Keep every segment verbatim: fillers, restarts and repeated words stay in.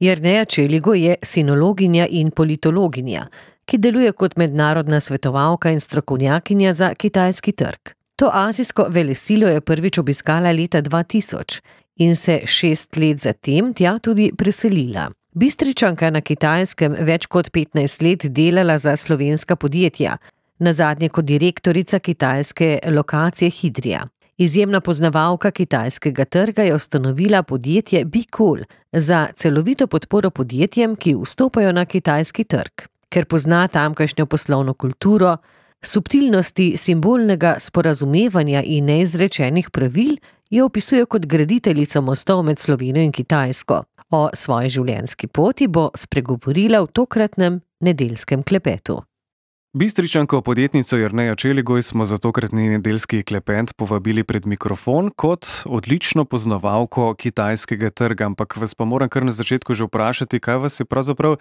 Jerneja Čeligo je sinologinja in politologinja, ki deluje kot mednarodna svetovalka in strokovnjakinja za kitajski trg. To azijsko velesilo je prvič obiskala leta dva tisoč in se šest let zatem tja tudi preselila. Bistričanka na Kitajskem več kot petnajst let delala za slovenska podjetja, nazadnje kot direktorica kitajske lokacije Hidrija. Izjemna poznavalka kitajskega trga je ustanovila podjetje BeCool za celovito podporo podjetjem, ki vstopajo na kitajski trg. Ker pozna tamkajšnjo poslovno kulturo, subtilnosti simbolnega sporazumevanja in neizrečenih pravil, jo opisuje kot graditeljico mostov med Slovenijo in Kitajsko. O svoji življenjski poti bo spregovorila v tokratnem nedeljskem klepetu. Bistričanko podjetnico Jernejo Čeligo smo za tokratni nedeljski klepet povabili pred mikrofon kot odlično poznavalko kitajskega trga, ampak vas pa moram kar na začetku že vprašati, kaj vas je pravzaprav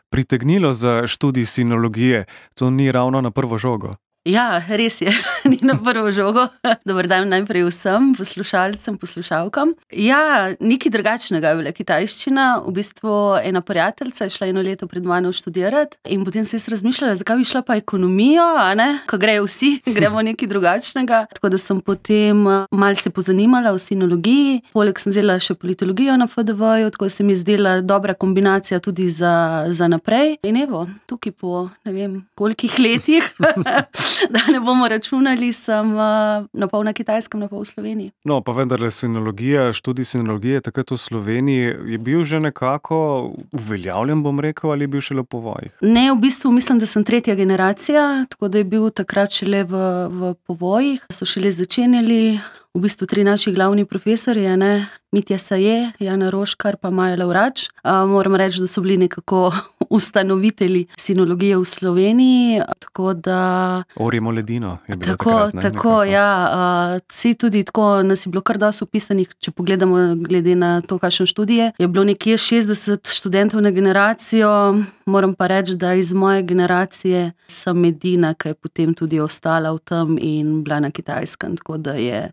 pritegnilo za študij sinologije. To ni ravno na prvo žogo. Ja, res je, ni na prvo žogo. Dober dan najprej vsem poslušalcem, poslušalkam. Ja, nekaj drugačnega je bila kitajščina. V bistvu ena prijateljica je šla eno leto pred mano študirati in potem se je razmišljala, zakaj bi šla pa ekonomijo, a ne? Ko grejo vsi, gremo nekaj drugačnega. Tako da sem potem malo se pozanimala o sinologiji. Poleg sem vzela še politologijo na F D V-ju, tako da se mi je zdela dobra kombinacija tudi za, za naprej. In evo, tukaj po ne vem kolikih letih da ne bomo računali, sem uh, na pol na Kitajskem, na pol v Sloveniji. No, pa vendarle sinologija, študij sinologije takrat v Sloveniji je bil že nekako uveljavljen, bom rekel, ali je bil šele v povojih? Ne, v bistvu mislim, da sem tretja generacija, tako da je bil takrat šele v, v povojih. So šele začenjali v bistvu tri naši glavni profesorji, ne? Mitja Saje, Jana Roškar pa Maja Lavrač. Uh, moram reči, da so bili nekako ustanovitelji sinologije v Sloveniji, tako da... Orjemo ledino je bilo tako, takrat, ne? Tako, nekako. Ja. Uh, vsi tudi tako, nas je bilo kar dosti upisanih, če pogledamo glede na to, kakšen študije. Je bilo nekje šestdeset študentov na generacijo, moram pa reči, da iz moje generacije sem edina, ki je potem tudi ostala v tem in bila na Kitajskem, tako da je...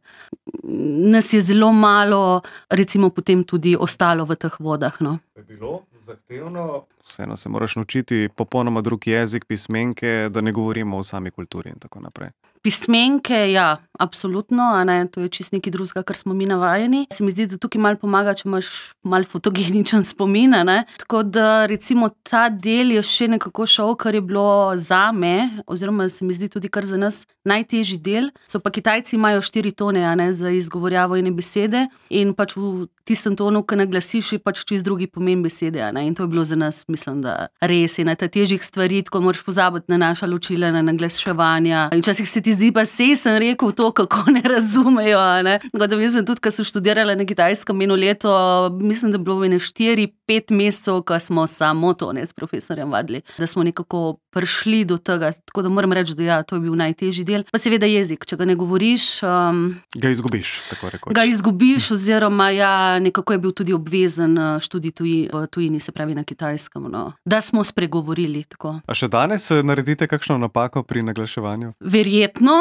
Nas je zelo malo, recimo, potem tudi ostalo v teh vodah, no. Je bilo zahtevno? Vseeno se moraš naučiti popolnoma drug jezik, pismenke, da ne govorimo o sami kulturi in tako naprej. Pismenke, ja, absolutno, a ne, to je čisto nekaj drugega, kar smo mi navajeni. Se mi zdi, da tukaj malo pomaga, če imaš malo fotogeničen spomin, a ne. Tako da, recimo, ta del je še nekako šel, kar je bilo zame, oziroma se mi zdi tudi kar za nas najtežji del. So pa Kitajci imajo štiri tone, a ne, za izgovorjavo ene besede in pač v tistem tonu, ki naglasiš, je pač čisto drugi pomen besede, a ne, in to je bilo za nas, mislim, da res je na ta težjih stvari, tako moraš pozabiti na naša ločila, na naglaševanja. In včasih se ti zdi, pa sej sem rekel to, kako ne razumejo, a ne. Tako da mislim tudi, ko sem študirala na Kitajskem eno leto, mislim, da bilo ene štiri, pet mesecev, ko smo samo to, ne, s profesorjem vadili, da smo nekako prišli do tega, tako da moram reči, da ja, to je bil najtežji del. Pa seveda jezik, če ga ne govoriš... Um, ga izgubiš, tako rekoč. Ga izgubiš, oziroma ja, nekako je bil tudi obvezen študij tuji, v tujini, se pravi na Kitajskem, no. Da smo spregovorili, tako. A še danes naredite kakšno napako pri naglaševanju? Verjetno,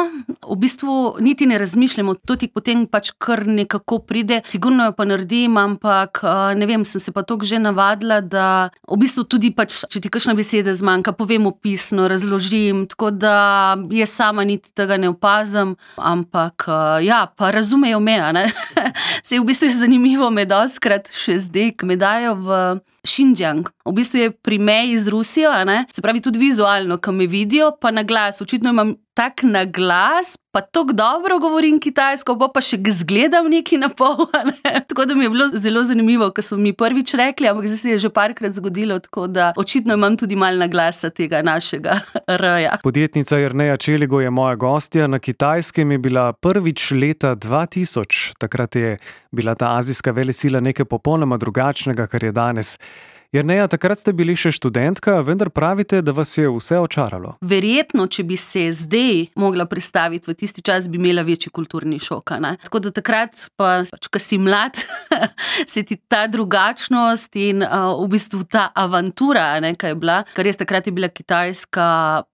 v bistvu niti ne razmišljamo, to ti potem pač kar nekako pride. Sigurno jo pa naredim, ampak ne vem, sem se pa toliko že navadila, da v bistvu tudi pač, če ti kakšna beseda zmanjka, povem opisno, razložim, tako da jaz sama niti tega ne opazim, ampak ja, pa razumejo me, a ne. Sej v bistvu je zanimivo, me dostikrat še zdaj, ko me dajo v Xinjiang. V bistvu je pri meji z Rusijo, a ne, se pravi tudi vizualno, ko me vidijo, pa na glas, očitno imam tak na glas, pa tako dobro govorim kitajsko, pa pa še zgledam nekaj na pol, a ne. Tako da mi je bilo zelo zanimivo, ko so mi prvič rekli, ampak zdaj se je že parkrat zgodilo, tako da očitno imam tudi malo na glasa tega našega R-ja. Podjetnica Jerneja Čeligo je moja gostja. Na Kitajskem je bila prvič leta dva tisoč. Takrat je bila ta azijska velesila nekaj popolnoma drugačnega, kar je danes. Jerneja, takrat ste bili še študentka, vendar pravite, da vas je vse očaralo. Verjetno, če bi se zdaj mogla predstaviti v tisti čas, bi imela večji kulturni šok. Ne? Tako da takrat, pa, ko si mlad, se ti ta drugačnost in uh, v bistvu ta avantura, ne, kaj je bila, ker res takrat je bila Kitajska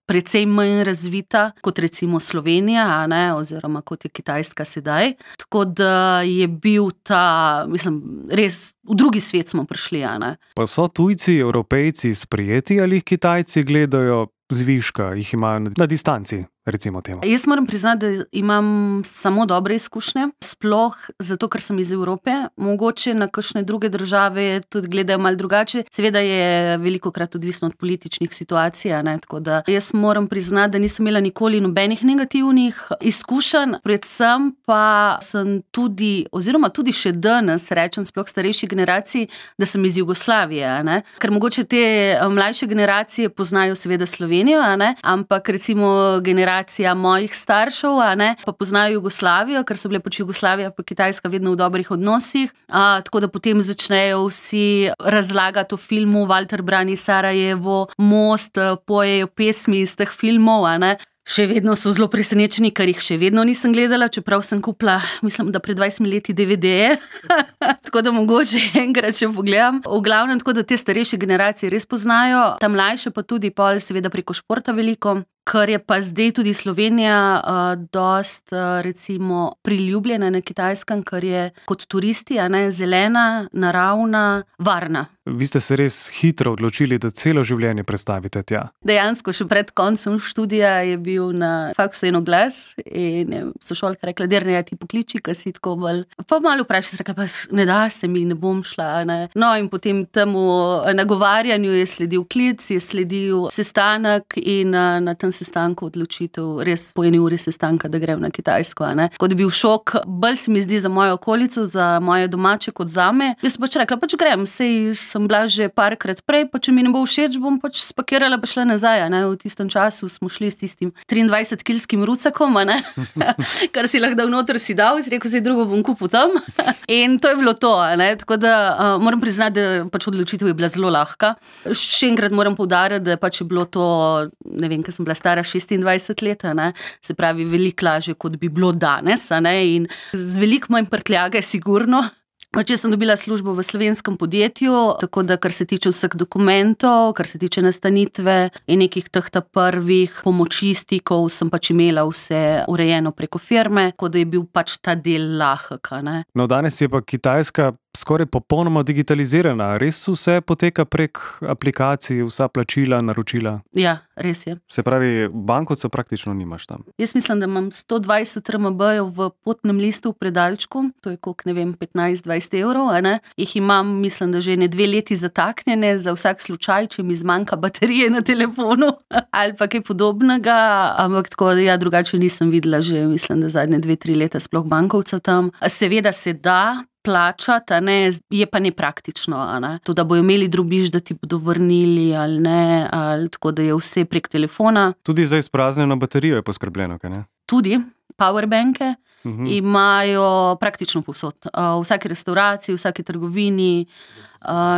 precej manj razvita kot recimo Slovenija, a ne, oziroma kot je Kitajska sedaj. Tako da je bil ta, mislim, res v drugi svet smo prišli, a ne. Pa so tujci, Evropejci sprijeti ali jih Kitajci gledajo zviška, jih imajo na distanci, recimo temu? Jaz moram priznati, da imam samo dobre izkušnje, sploh zato, ker sem iz Evrope. Mogoče na kakšne druge države tudi gledajo malo drugače. Seveda je velikokrat odvisno od političnih situacij, ne? Tako da jaz moram priznati, da nisem imela nikoli nobenih negativnih izkušenj, predvsem pa sem tudi, oziroma tudi še danes rečem sploh starejši generaciji, da sem iz Jugoslavije, ne? Ker mogoče te mlajše generacije poznajo seveda Slovenijo, a ne? Ampak recimo generacija mojih staršev, a ne, pa poznajo Jugoslavijo, ker so bile pač Jugoslavija pa Kitajska vedno v dobrih odnosih, a, tako da potem začnejo vsi razlagati o filmu Walter brani Sarajevo, Most, pojejo pesmi iz teh filmov, a ne. Še vedno so zelo presenečeni, ker jih še vedno nisem gledala, čeprav sem kupila, mislim, da pred dvajsetimi leti de ve de-je, tako da mogoče enkrat še pogledam. V glavnem, tako da te starejše generacije res poznajo, ta mlajše pa tudi pol seveda preko športa veliko, kar je pa zdaj tudi Slovenija uh, dost, uh, recimo, priljubljena na Kitajskem, ker je kot turisti, a ne, zelena, naravna, varna. Vi ste se res hitro odločili, da celo življenje prestavite tja. Dejansko, še pred koncem študija je bil na faksu en oglas in sošolka rekla, Jerneja, ti pokliči, kaj si tako bolj. Pa malo vprašala, rekla, pa ne da se mi, ne bom šla. Ne. No in potem temu nagovarjanju je sledil klic, je sledil sestanek in na tem sestanku odločitev, res po eni uri sestanka, da grem na Kitajsko. Ne. Tako da je bil šok, bolj se mi zdi za mojo okolico, za moje domače kot zame. Jaz sem pač rekla, pač grem, sej sem bila že parkrat prej, pa če mi ne bo všeč, bom pač spakirala pa šla nazaj. Ne. V tistem času smo šli s tistim triindvajsetkilskim rucakom, ne. Kar si lahko dal noter, si dal, si rekel, zdaj drugo bom kupil tam. In to je bilo to. Ne. Tako da uh, moram priznati, da pač odločitev je bila zelo lahka. Še enkrat moram poudariti, da pač je bilo to, ne vem, ker sem bila stara šestindvajset let, ne. Se pravi, veliko lažje, kot bi bilo danes, ne. In z veliko manj prtljage, sigurno. Pač jaz sem dobila službo v slovenskem podjetju, tako da kar se tiče vseh dokumentov, kar se tiče nastanitve in nekih teh ta prvih pomoči, stikov, sem pač imela vse urejeno preko firme, tako da je bil pač ta del lahek, ne. No, danes je pa Kitajska skoraj popolnoma digitalizirana. Res vse poteka prek aplikacij, vsa plačila, naročila? Ja, res je. Se pravi, bankovca praktično nimaš tam? Jaz mislim, da imam sto dvajset er em be-jev v potnem listu v predalčku, to je koliko, ne vem, petnajst dvajset evrov, a ne. Jih imam, mislim, da že ne dve leti zataknjene za vsak slučaj, če mi zmanjka baterije na telefonu ali pa kaj podobnega, ampak tako, ja, drugače nisem videla že, mislim, da zadnje dve, tri leta sploh bankovca tam. Seveda se da plačati, a ne, je pa nepraktično, a ne. To, da bojo imeli drobiž, da ti bodo vrnili ali ne, ali tako, da je vse prek telefona. Tudi za izpraznjeno baterijo je poskrbljeno, kaj ne? Tudi, powerbanke Mhm. imajo praktično povsod. V vsaki restauraciji, v vsaki trgovini,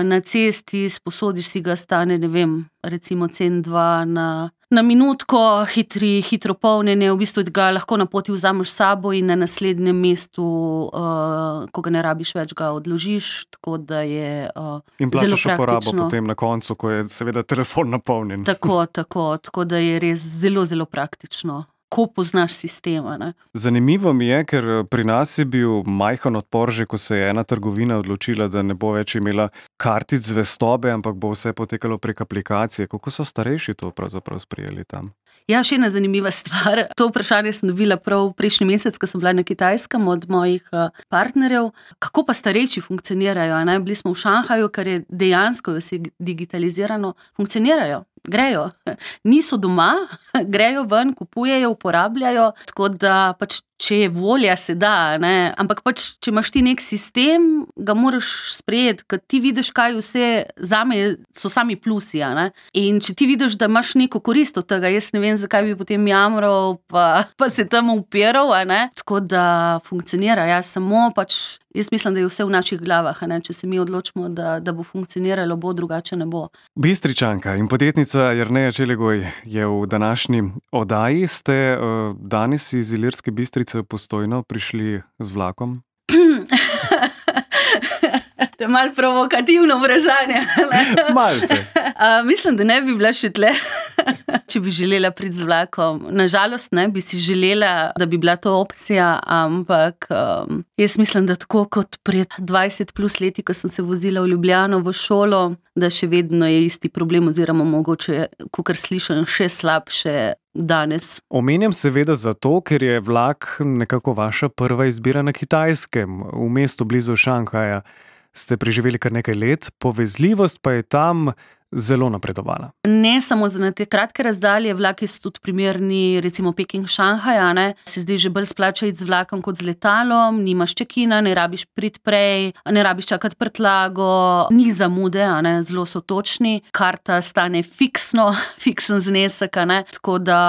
na cesti, sposodiš si ga, stane, ne vem, recimo cen dva na, na minutko, hitri, hitro polnjenje, v bistvu ga lahko na poti vzameš s sabo in na naslednjem mestu, uh, ko ga ne rabiš več, ga odložiš, tako da je uh, In zelo plačaš uporabo praktično. potem na koncu, ko je seveda telefon napolnjen. Tako, tako, tako da je res zelo, zelo praktično. Ko poznaš sistema, ne. Zanimivo mi je, ker pri nas je bil majhen odpor, že ko se je ena trgovina odločila, da ne bo več imela kartic zvestobe, ampak bo vse potekalo prek aplikacije. Kako so starejši to pravzaprav sprejeli tam? Ja, še ena zanimiva stvar. To vprašanje sem dobila prav prejšnji mesec, ko sem bila na Kitajskem od mojih partnerjev. Kako pa starejši funkcionirajo? Ne? Bili smo v Šanghaju, ker je dejansko vse digitalizirano, funkcionirajo. Grejo. Niso doma, grejo ven, kupujejo, uporabljajo, tako da pač če je volja, se da, ne? Ampak pač, če imaš ti nek sistem, ga moraš sprejeti, ker ti vidiš, kaj vse zame so sami plusi, ne? In če ti vidiš, da imaš neko korist od tega, jaz ne vem, zakaj bi potem jamral, pa, pa se tam upiral, ne? Tako da funkcionira, ja, samo pač, jaz mislim, da je vse v naših glavah, ne? Če se mi odločimo, da, da bo funkcioniralo, bo, drugače ne bo. Bistričanka in podjetnica Jerneja Čelegoj je v današnji oddaji. Ste uh, danes iz Ilirske Bistrice v Postojno prišli z vlakom? To je malo provokativno vprašanje. Malce. Uh, mislim, da ne bi bila še tle, če bi želela priti z vlakom. Nažalost, ne bi si želela, da bi bila to opcija, ampak um, jaz mislim, da tako kot pred dvajset plus leti, ko sem se vozila v Ljubljano v šolo, da še vedno je isti problem oziroma mogoče, kakor slišim, še slabše danes. Omenjam seveda zato, ker je vlak nekako vaša prva izbira na Kitajskem, v mestu blizu Šanghaja. Ste preživeli kar nekaj let, povezljivost pa je tam zelo napredovala. Ne samo za te kratke razdalje, vlaki so tudi primerni, recimo Peking-Šanghaja, ne, se zdi že bolj splača iti z vlakom kot z letalom, nimaš čekina, ne rabiš priti prej, ne rabiš čakati prtlago, ni zamude, a ne, zelo so točni, karta stane fiksno, fiksen znesek, a ne, tako da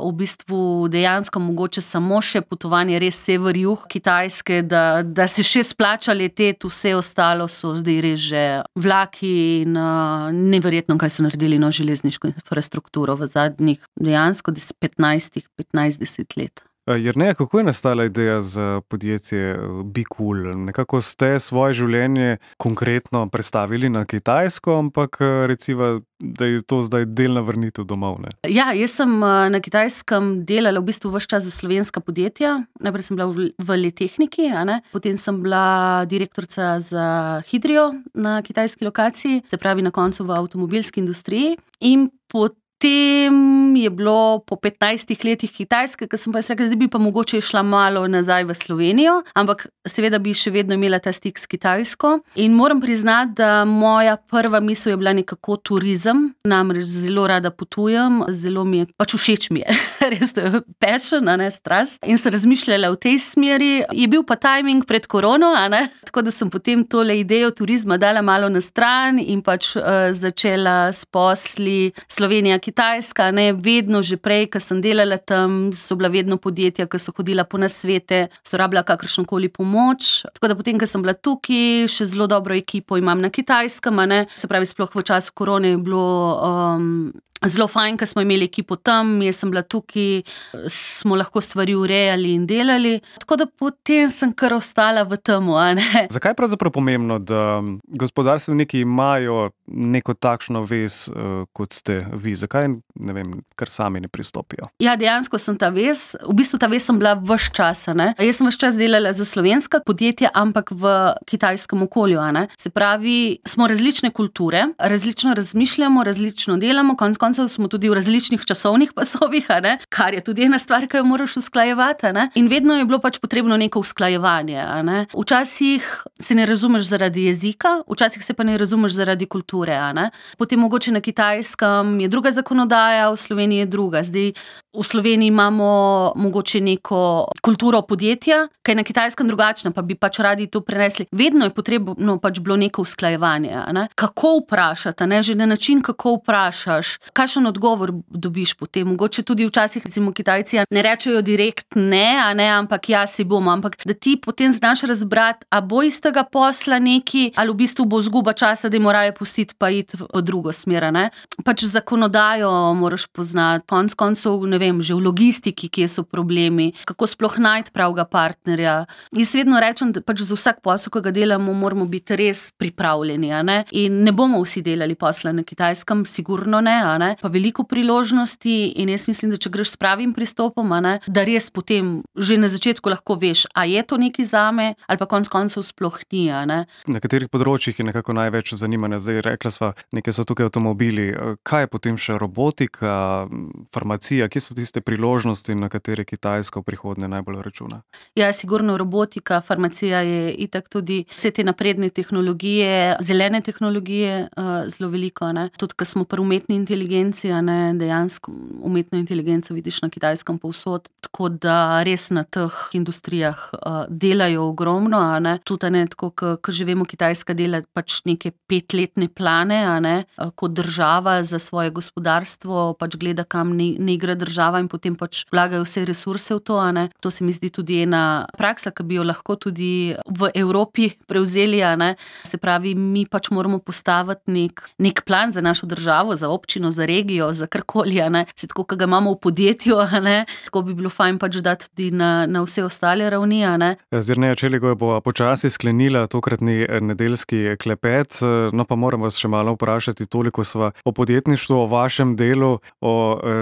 v bistvu dejansko mogoče samo še potovanje res sever-jug Kitajske, da, da se še splača leteti, vse ostalo so zdaj res že vlaki in uh, neverjetno, kaj so naredili na železniško infrastrukturo v zadnjih dejansko petnajst deset let. Jerneja, kako je nastala ideja za podjetje BeCool? Nekako ste svoje življenje konkretno predstavili na Kitajsko, ampak recimo, da je to zdaj delna vrnitev domov, ne? Ja, jaz sem na Kitajskem delala v bistvu ves čas za slovenska podjetja. Najprej sem bila v, v Letehniki, a ne? Potem sem bila direktorica za Hydrio na kitajski lokaciji, se pravi na koncu v avtomobilski industriji. In potem Potem je bilo po petnajstih letih Kitajske, ko sem pa jaz rekla, zdaj bi pa mogoče šla malo nazaj v Slovenijo, ampak seveda bi še vedno imela ta stik s Kitajsko. In moram priznati, da moja prva misel je bila nekako turizem, namreč zelo rada potujem, zelo mi je, pač všeč mi je, res to je passion, a ne, strast. In sem razmišljala v tej smeri, je bil pa timing pred korono, a ne, tako da sem potem tole idejo turizma dala malo na stran in pač uh, začela s posli Slovenija, Kitajska, ne, vedno že prej, ko sem delala tam, so bila vedno podjetja, ki so hodila po nasvete, so rabila kakršnokoli pomoč. Tako da potem, ko sem bila tukaj, še zelo dobro ekipo imam na Kitajskem, ne, se pravi, sploh v času korone je bilo um, zelo fajn, ko smo imeli ekipo tam, jaz sem bila tukaj, smo lahko stvari urejali in delali, tako da potem sem kar ostala v temu, a ne. Zakaj je pravzaprav pomembno, da gospodarstveniki imajo neko takšno vez, kot ste vi? Zakaj, ne vem, kar sami ne pristopijo? Ja, dejansko sem ta vez, v bistvu ta vez sem bila ves čas, a ne. Jaz sem ves čas delala za slovenska podjetja, ampak v kitajskem okolju, a ne. Se pravi, smo različne kulture, različno razmišljamo, različno delamo, konc koncev smo tudi v različnih časovnih pasovih, a ne, kar je tudi ena stvar, ki jo moraš usklajevati, a ne. In vedno je bilo pač potrebno neko usklajevanje, a ne. Včasih se ne razumeš zaradi jezika, včasih se pa ne razumeš zaradi kulture, a ne. Potem mogoče na Kitajskem je druga zakonodaja, v Sloveniji je druga. Zdaj v Sloveniji imamo mogoče neko kulturo podjetja, ki je na Kitajskem drugačna, pa bi pač radi to prenesli. Vedno je potrebno pač bilo neko usklajevanje, a ne. Kako vprašati, a ne, že na način, kako vprašaš, kakšen odgovor dobiš potem. Mogoče tudi včasih, recimo Kitajci ne rečejo direkt ne, a ne, ampak ja, si bomo, ampak da ti potem znaš razbrati, a bo iz tega posla neki, ali v bistvu bo zguba časa, da jim morajo pustiti pa iti v drugo smer, a ne. Pač zakonodajo moraš poznati, konc koncev, ne vem, že v logistiki, kje so problemi, kako sploh najti pravega partnerja. Jaz vedno rečem, da pač za vsak posel, ki ga delamo, moramo biti res pripravljeni, a ne. In ne bomo vsi delali posla na Kitajskem, sigurno ne, a ne. Pa veliko priložnosti in jaz mislim, da če greš s pravim pristopom, a ne, da res potem že na začetku lahko veš, a je to nekaj zame, ali pa konc koncev sploh ni, a ne. Na katerih področjih je nekako največ zanimanja? Zdaj rekla sva, nekaj so tukaj avtomobili. Kaj je potem še robotika, farmacija, kje so tiste priložnosti, na katere Kitajska v prihodnje najbolj računa? Ja, sigurno robotika, farmacija je itak tudi vse te napredne tehnologije, zelene tehnologije uh, zelo veliko, ne. Tudi, ko smo pri umetni inteligenci, a ne, dejansko umetno inteligenco vidiš na Kitajskem povsod, tako da res na teh industrijah uh, delajo ogromno, a ne. Tudi, a ne, tako, ko že vemo, Kitajska dela pač neke petletne plane, a ne, kot država za svoje gospodarstvo, pač gleda, kam ne, ne igra država in potem pač vlagajo vse resurse v to, a ne. To se mi zdi tudi ena praksa, ki bi jo lahko tudi v Evropi prevzeli, a ne. Se pravi, mi pač moramo postaviti nek, nek plan za našo državo, za občino, za regijo, za karkoli, a ne. Se tako, ko ga imamo v podjetju, a ne, tako bi bilo fajn pač dati tudi na, na vse ostale ravni, a ne. Z Jernejo Čeligoj bo počasi sklenila tokratni nedeljski klepet, no pa moram vas še malo vprašati, toliko sva o podjetništvu, o vašem delu, o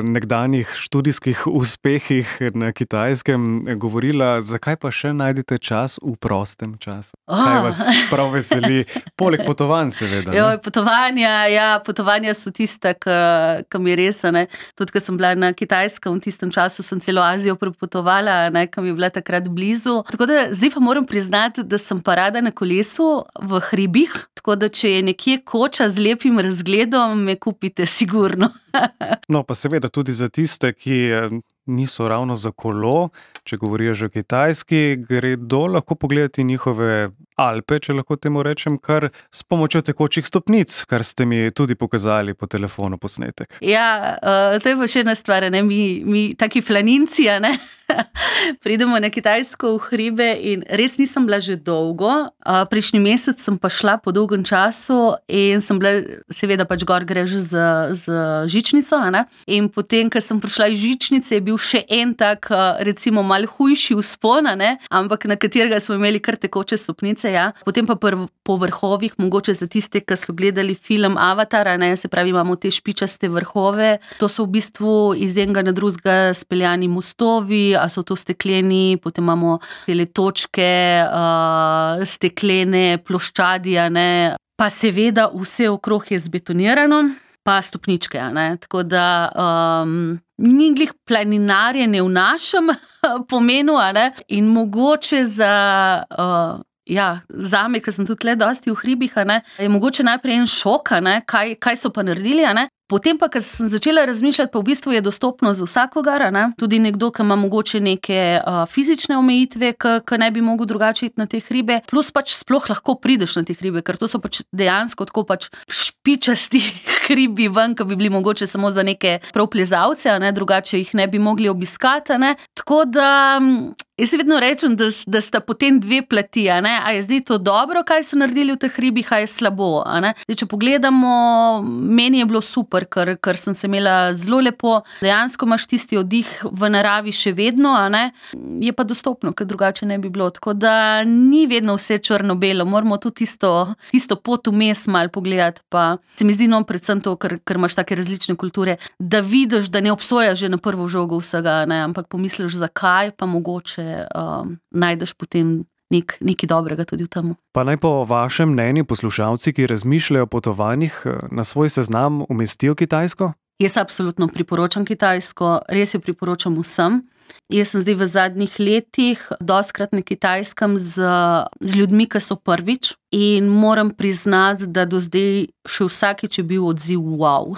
nekdanjih študijskih uspehih na Kitajskem govorila, zakaj pa še najdete čas v prostem času? Oh. Kaj vas prav veseli? Poleg potovanj seveda. Jo, potovanja, ja, potovanja so tista, ki mi res, ne. Tudi, ko sem bila na Kitajskem, v tistem času sem celo Azijo prepotovala, ne, ki mi je bila takrat blizu. Tako da zdaj pa moram priznati, da sem pa rada na kolesu v hribih, tako da če je nekje koča z lepim razgledom, me kupite sigurno. No, pa seveda tudi za tiste, ki niso ravno za kolo, če govorijo že o Kitajski, gredo lahko pogledati njihove Alpe, če lahko temu rečem, kar s pomočjo tekočih stopnic, kar ste mi tudi pokazali po telefonu posnetek. Ja, uh, to je pa še ena stvar, ne, mi, mi taki planinci, a ne, pridemo na Kitajsko v hribe in res nisem bila že dolgo. Uh, prejšnji mesec sem pa šla po dolgem času in sem bila, seveda pač gor greš z, z žičnico, a ne, in potem, ko sem prišla iz žičnice, je bil še en tak, recimo, mal hujši vzpon, a ne, ampak na katerega smo imeli kar tekoče stopnice. Ja. Potem pa pr- po vrhovih, mogoče za tiste, ki so gledali film Avatar, ne, se pravi, imamo te špičaste vrhove. To so v bistvu iz enega na drugega speljani mostovi, a so to stekleni, potem imamo tele točke, uh, steklene ploščadi, a ne. Pa seveda vse okrog je zbetonirano, pa stopničke, a ne. Tako da um, ni glih planinarjenje v našem pomenu, a ne. In mogoče za... Uh, Ja, zame, ker sem tudi le dosti v hribih, a ne, je mogoče najprej en šok, a ne, kaj, kaj so pa naredili, a ne. Potem pa, ker sem začela razmišljati, pa v bistvu je dostopno za vsakogar, a ne. Tudi nekdo, ki ima mogoče neke uh, fizične omejitve, ki ne bi mogel drugače iti na te hribe, plus pač sploh lahko prideš na te hribe, ker to so pač dejansko tako pač špičasti hribi ven, ki bi bili mogoče samo za neke prav plezalce, a ne, drugače jih ne bi mogli obiskati, a ne. Tako da... Jaz vedno rečem, da, da sta potem dve plati, a ne, a je zdaj to dobro, kaj so naredili v teh hribih, a je slabo, a ne. Zdaj, če pogledamo, meni je bilo super, ker, ker sem se imela zelo lepo, dejansko imaš tisti oddih v naravi še vedno, a ne, je pa dostopno, ker drugače ne bi bilo, tako da ni vedno vse črno-belo, moramo tudi tisto, tisto pot vmes malo pogledati, pa se mi zdi, no, predvsem to, ker, ker imaš take različne kulture, da vidiš, da ne obsojaš že na prvo žogo vsega, ne, ampak pomisliš, zakaj, pa mogoče Um, najdeš potem nek, nekaj dobrega tudi v tem. Pa naj po vašem mnenju poslušalci, ki razmišljajo o potovanjih, na svoj seznam umestijo Kitajsko? Jaz absolutno priporočam Kitajsko, res jo priporočam vsem. Jaz sem zdaj v zadnjih letih dostikrat na Kitajskem z, z ljudmi, ki so prvič, in moram priznati, da do zdaj še vsakič je bil odziv wow.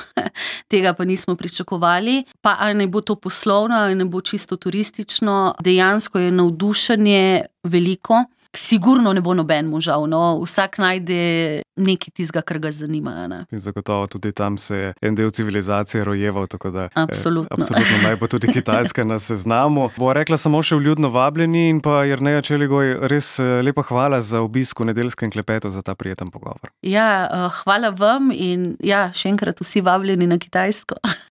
Tega pa nismo pričakovali. Pa ali ne bo to poslovno, ali ne bo čisto turistično, dejansko je navdušenje veliko. Sigurno ne bo nobenemu žal, no, vsak najde nekaj tistega, kar ga zanima, ne. In zagotovo tudi tam se je en del civilizacije rojeval, tako da absolutno, eh, absolutno naj bo tudi Kitajska na seznamu. Bo rekla samo še vljudno vabljeni in pa Jerneja Čeligoj, res lepa hvala za obisk v nedeljskem klepetu, za ta prijeten pogovor. Ja, hvala vam in ja, še enkrat vsi vabljeni na Kitajsko.